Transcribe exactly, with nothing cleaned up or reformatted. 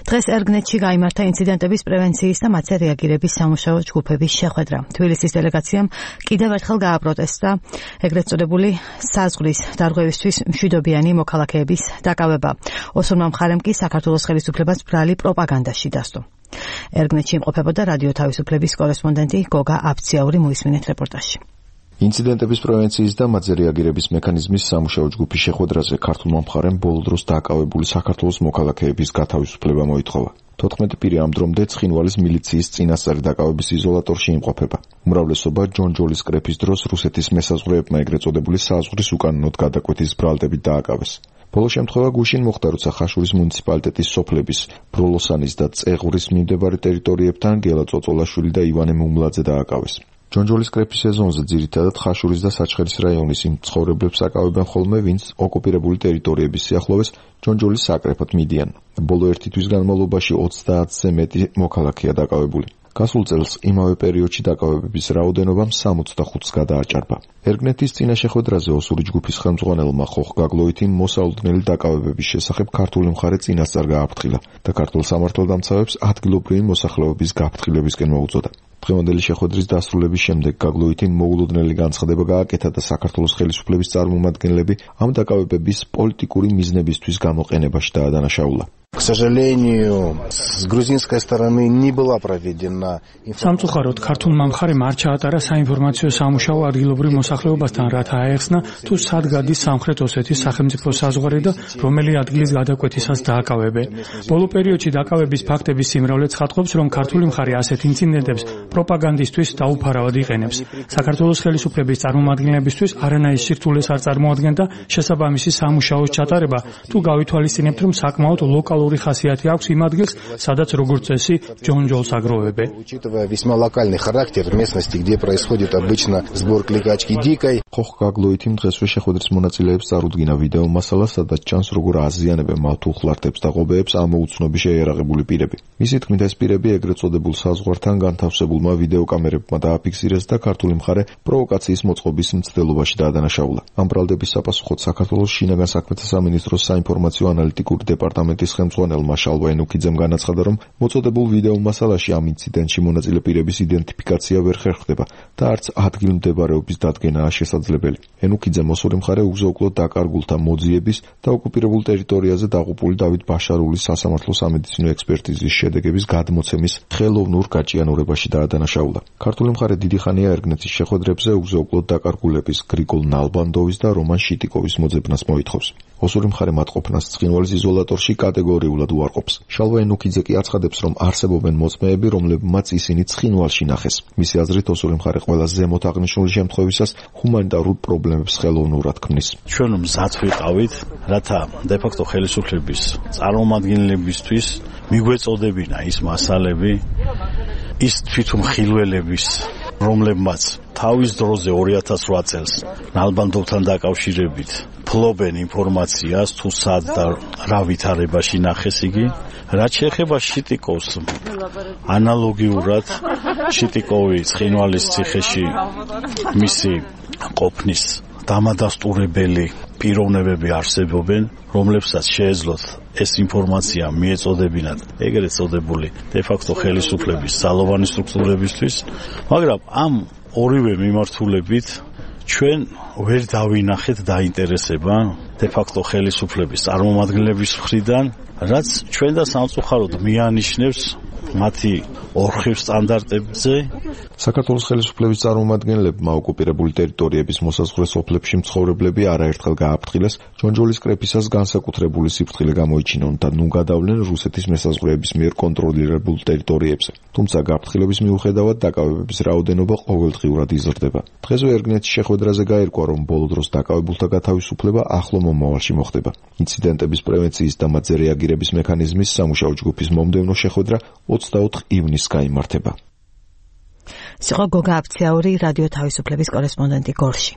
დღეს ერგნეთში გაიმართა ინციდენტების პრევენციის და მათზე რეაგირების სამუშაო ჯგუფების შეხვედრა. თბილისის დელეგაციამ კიდევ ერთხელ გააპროტესტა ეგრეთ წოდებული საზღვრის დარღვევისთვის მშვიდობიანი მოქალაქეების დაკავება. ოსურმა მხარემ კი საქართველოს ხელისუფლებას ბრალი პროპაგანდაში დასდო. ერგნეთში იმყოფებოდა რადიო თავისუფლების კორესპონდენტი გოგა აბციაური, მოისმინეთ რეპორტაჟი. ინციდენტების პრევენციის და მათზე რეაგირების მექანიზმის სამუშაო ჯგუფის შეხვედრაზე ქართულმა მხარემ ბოლო დროს დაკავებული საქართველოს მოქალაქეების გათავისუფლება მოითხოვა. თოთხმეტი პირი ამ დრომდე ცხინვალის მილიციის წინასწარი დაკავების იზოლატორში იმყოფება. უმრავლესობა ჯონჯოლის კრეფის დროს რუსეთის მესაზღვრეებმა ეგრეთ წოდებული საზღვრის უკანონოდ გადაკვეთის ბრალდებით დააკავეს. ბოლო შემთხვევა გუშინ მოხდა, როცა ხაშურის მუნიციპალიტეტის სოფლების ბროლოსანის და წეღვრის მიმდებარე ტერიტორიებთან გელა წოწოლაშვილი და ივანე მუმლაძე დააკავეს. ჯონჯოლის კრეფის სეზონზე ძირითადად ხაშურის და საჩხერის რაიონის იმ ცხოვრებლებს აკავებენ ხოლმე, ვინც ოკუპირებული ტერიტორიების სიახლოვეს ჯონჯოლის საკრეფოდ მიდიან. ბოლო ერთი თვის განმავლობაში ოცდაათზე მეტი მოქალაქეა დაკავებული. გასულ წელს იმავე პერიოდში დაკავებების რაოდენობამ სამოცდახუთს გადააჭარბა. ერგნეთის წინა შეხვედრაზე ოსური ჯგუფის ხელმძღვანელმა ხოხ გაგლოითიმ მოსალოდნელი დაკავებების შესახებ ქართული მხარე წინასწარ გააფრთხილა და ქართულ სამართალდამცავებს ადგილობრივი მოსახლეობის გაფრთხილებისკენ მოუწოდა. დღევანდელი შეხვედრის დასრულების შემდეგ გაგლოითიმ მოულოდნელი განცხადება გააკეთა და საქართველოს ხელისუფლების წარმომადგენლები ამ დაკავებების პოლიტიკური მიზნებისთვის გამოყენებაში დაადანაშაულა. К сожалению, с грузинской стороны не была проведена სამწუხაროდ ქართულმა მხარემ არ ჩაატარა საინფორმაციო სამუშაო ადგილობრივ მოსახლეობასთან, რათა აეხსნა თუ სად გადის სამხრეთ ოსეთის სახელმწიფო საზღვარი და რომელი ადგილის გადაკვეთისას დააკავებენ. ბოლო პერიოდში დაკავების ფაქტების სიმრავლე ცხადყოფს, რომ ქართული მხარე ასეთ ინციდენტებს პროპაგანდისთვის დაუფარავად იყენებს. საქართველოს ხელისუფლების წარმომადგენლებისთვის არანაირ სირთულეს არ წარმოადგენდა შესაბამისი სამუშაოს ჩატარება, თუ გავითვალისწინებთ, რომ საკმაოდ ლოკალური ხასიათი აქვს იმ ადგილს, სადაც როგორც წესი ჯონჯოლს აგროვებენ. Учитывая весьма локальный характер местности, где происходит обычно сбор кликачки дикой. ხოხ გაგლოითიმ დღესვე შეხვედრის მონაწილეებს წარუდგინა ვიდეო მასალა, სადაც ჩანს როგორ აზიანებენ მათ უხლართებს და ღობეებს ამ უცნობი შეიარაღებული პირები. მისი თქმით, ეს პირები ეგრეთ წოდებულ საზღვართან განთავსებულმა ვიდეოკამერებმა დააფიქსირეს და ქართული მხარე პროვოკაციის მოწყობის მცდელობაში დაადანაშაულა. ამ ბრალდების საპასუხოდ საქართველოს შინაგან საქმეთა სამინისტროს საინფორმაციო ანალიტიკური დეპარტამენტის ხელმძღვანელმა შალვა ენუქიძემ განაცხადა, რომ მოწოდებულ ვიდეო მასალაში ამ ინციდენტში მონაწილე პირების იდენტიფიკაცია ვერ ხერხდება და არც ადგილმდებარეობის დადგენაა შესაძლებელი. ენუქიძემ ოსური მხარე უგზო-უკლოდ დაკარგულთა მოძიების და ოკუპირებულ ტერიტორიაზე დაღუპული დავით ბაშარულის სასამართლო სამედიცინო ექსპერტიზის შედეგების გადმოცემის ხელოვნურ გაჭიანურებაში დაადანაშაულა. ქართული მხარე დიდი ხანია ერგნეთის შეხვედრებზე უგზო-უკლოდ დაკარგულების გრიგოლ ნალბანდოვის და რომან შიტიკოვის მოძებნას მოითხოვს. ოსური მხარე მათყოფნას ცხინვალის იზოლატორში კატეგორიულად უარყოფს. შალვა ენუქიძე კი აცხადებს, რომ არსებობენ მოწმეები, რომლებმაც ისინი ცხინვალში ნახეს. მისი აზრით, ოსური მხარე ყველა ზემოთ აღნიშნული შემთხვევისას ჰუმანიტარულ პრობლემებს ხელოვნურად ქმნის. ჩვენ მზად ვიყავით, რათა დე-ფაქტო ხელისუფლების წარმომადგენლებისთვის მიგვეწოდებინა ის მასალები, ის თვითმხილველების, რომლებმაც თავის დროზე ორი ათას რვა წელს ნალბანდოვთან დაკავშირებით ფლობენ ინფორმაციას, თუ სად და რა ვითარებაში ნახეს იგი. რაც შეეხება შიტიკოვს, ანალოგიურად შიტიკოვი ცხინვალის ციხეში მისი ყოფნის დამადასტურებელი პიროვნებები არსებობენ, რომლებსაც შეეძლოთ ეს ინფორმაცია მიეწოდებინათ ეგრეთ წოდებული დე-ფაქტო ხელისუფლების ძალოვანი სტრუქტურებისთვის, მაგრამ ამ ორივე მიმართულებით ჩვენ ვერ დავინახეთ დაინტერესება დე-ფაქტო ხელისუფლების წარმომადგენლების მხრიდან, რაც ჩვენ და სამწუხაროდ მიანიშნებს მათი ორხივ სტანდარტებზე. საქართველოს ხელისუფლების წარმომადგენლებმა ოკუპირებული ტერიტორიების მოსაზღვრე სოფლებში მცხოვრებლები არაერთხელ გააფრთხილეს ჯონჯოლის კრეფისას განსაკუთრებული სიფრთხილე გამოიჩინონ და ნუ გადავლენ რუსეთის მესაზღვრეების მიერ კონტროლირებულ ტერიტორიებზე. თუმცა გაფრთხილების მიუხედავად დაკავებების რაოდენობა ყოველდღიურად იზრდება. დღესვე ერგნეთის შეხვედრაზე გაირკვა, რომ ბოლო დროს დაკავებულთა გათავისუფლება ახლო მომავალში მოხდება. ინციდენტების პრევენციის და მათზე რეაგირების მექანიზმის სამუშაო ჯგუფის მომდევნო შეხვედრა ოცდაოთხ ივნისს გაიმართება. სიყო გოგა აბციაური, რადიო თავისუფლების კორესპონდენტი გორში.